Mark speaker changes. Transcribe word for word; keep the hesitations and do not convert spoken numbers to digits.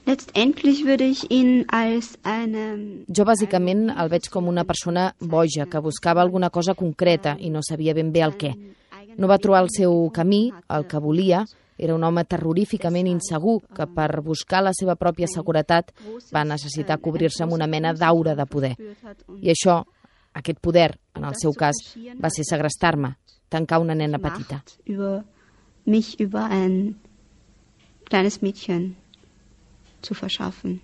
Speaker 1: Letztendlich würde ich ihn als eine...
Speaker 2: Jo bàsicament el veig com una persona boja que buscava alguna cosa concreta i no sabia ben bé el què. No va trobar el seu camí, el que volia. Era un home terroríficament insegur que per buscar la seva pròpia seguretat va necessitar cobrir-se amb una mena d'aura de poder. I això, aquest poder, en el seu cas, va ser segrestar-me, tancar una nena petita.
Speaker 1: Über mich, über ein kleines Mädchen zu verschaffen.